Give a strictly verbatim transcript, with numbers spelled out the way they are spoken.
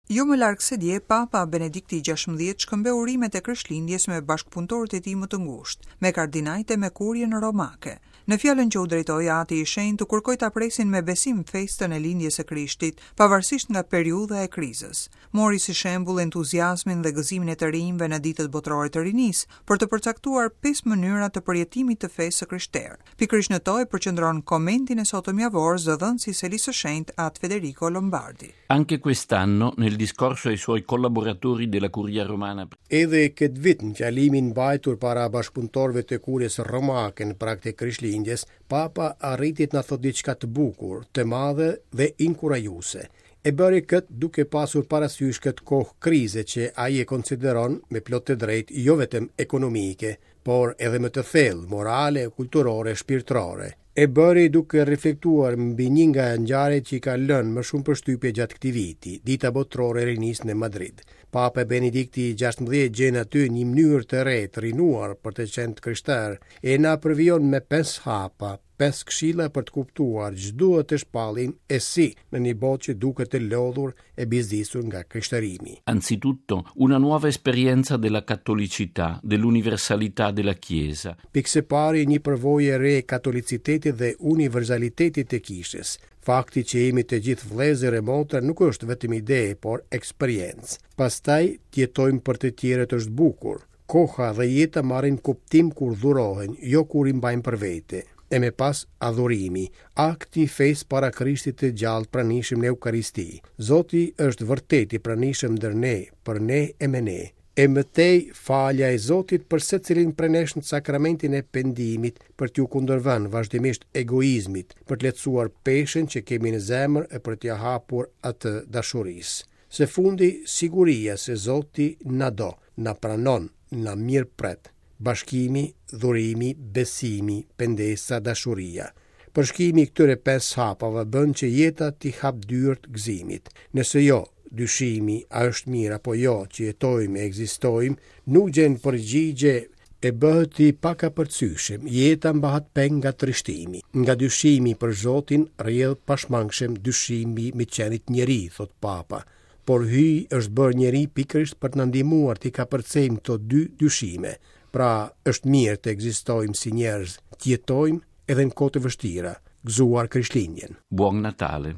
Jo më larg se dje, Papa Benedikti gjashtëmbëdhjetë shkëmbeu urimet e Krishtlindjes me bashkëpunëtorët e tij më të ngushtë, me kardinajt e me kurjen romake. Në fjalën që u drejtoi Ati i Shenjtë, u kërkoi ta presin me besim festën e lindjes së Krishtit, pavarësisht nga periudha e krizës. Mori si shembull entuziazmin dhe gëzimin e të rinjve në ditët botërore të rinisë, për të përcaktuar pesë mënyra të përjetimit të fesë së krishterë. Pikërisht në to e përqendron komentin e sotëm javor zëdhënësi i Selisë së Shenjtë At Federico Lombardi. Anche quest'anno, nel discorso ai suoi collaboratori della Curia Romana, Edhe këtë vit në fjalimin mbajtur para bashkëpunëtorëve të kurjes romake në prag të Krishtlindjes, Papa arriti të na thotë diçka të bukur, të madhe dhe inkurajuese. E bëri këtë duke pasur parasysh këtë kohë krize që ai e konsideron me plot të drejtë jo vetëm ekonomike, por edhe më të thellë, morale, kulturore, shpirtërore. E bëri duke reflektuar mbi një nga ngjarjet që i ka lënë më shumë përshtypje gjatë këtij viti, Dita Botërore e Rinisë në Madrid. Papa Benedikti gjashtëmbëdhjetë gjen aty një mënyrë të re të rinuar për të qenë të krishterë e na përvijon me pesë hapa, pesë këshilla për të kuptuar ç'duhet të shpallim e si në një botë që duket e lodhur e bizdisur nga krishterimi. Anzitutto una nuova esperienza della cattolicità, dell'universalità della Chiesa. Pikë së pari një përvojë e re e katolicitetit dhe universalitetit të kishës. Fakti që jemi të gjithë vëllezër e motra nuk është vetëm ide, por eksperiencë. Pastaj, të jetojmë për të tjerët është bukur. Koha dhe jeta marrin kuptim kur dhurohen, jo kur i mbajmë për vete. E me pas adhurimi, akti i fesë para Krishtit të gjallë pranishëm në Eukaristi. Zoti është vërtet i pranishëm ndër ne, për ne e me ne. E më tej, falja e Zotit për secilin prej nesh në sakramentin e pendimit, për t'ju kundërvënë vazhdimisht egoizmit, për të lehtësuar peshën që kemi në zemër e për t'ia hapur atë dashurisë. Se fundi, siguria se Zoti na do, na pranon, na mirëpret. Bashkimi, dhurimi, besimi, pendesa, dashuria. Përshkimi i këtyre pesë hapave bën që jeta t'i hap dyert gëzimit. Nëse jo, dyshimi a është mirë apo jo që jetojmë e ekzistojmë, nuk gjen përgjigje e bëhet i pakapërcyeshëm. Jeta mbahet peng nga trishtimi. Nga dyshimi për Zotin rrjedh pashmangshëm dyshimi me qenit njeri, thot Papa. Por Hyji është bërë njeri pikërisht për të na ndihmuar t'i kapërcejmë këto dy dyshime. Pra, është mirë të ekzistojmë si njerëz, të jetojmë edhe në kohë të vështira. Gëzuar Krishtlindjen. Buon Natale.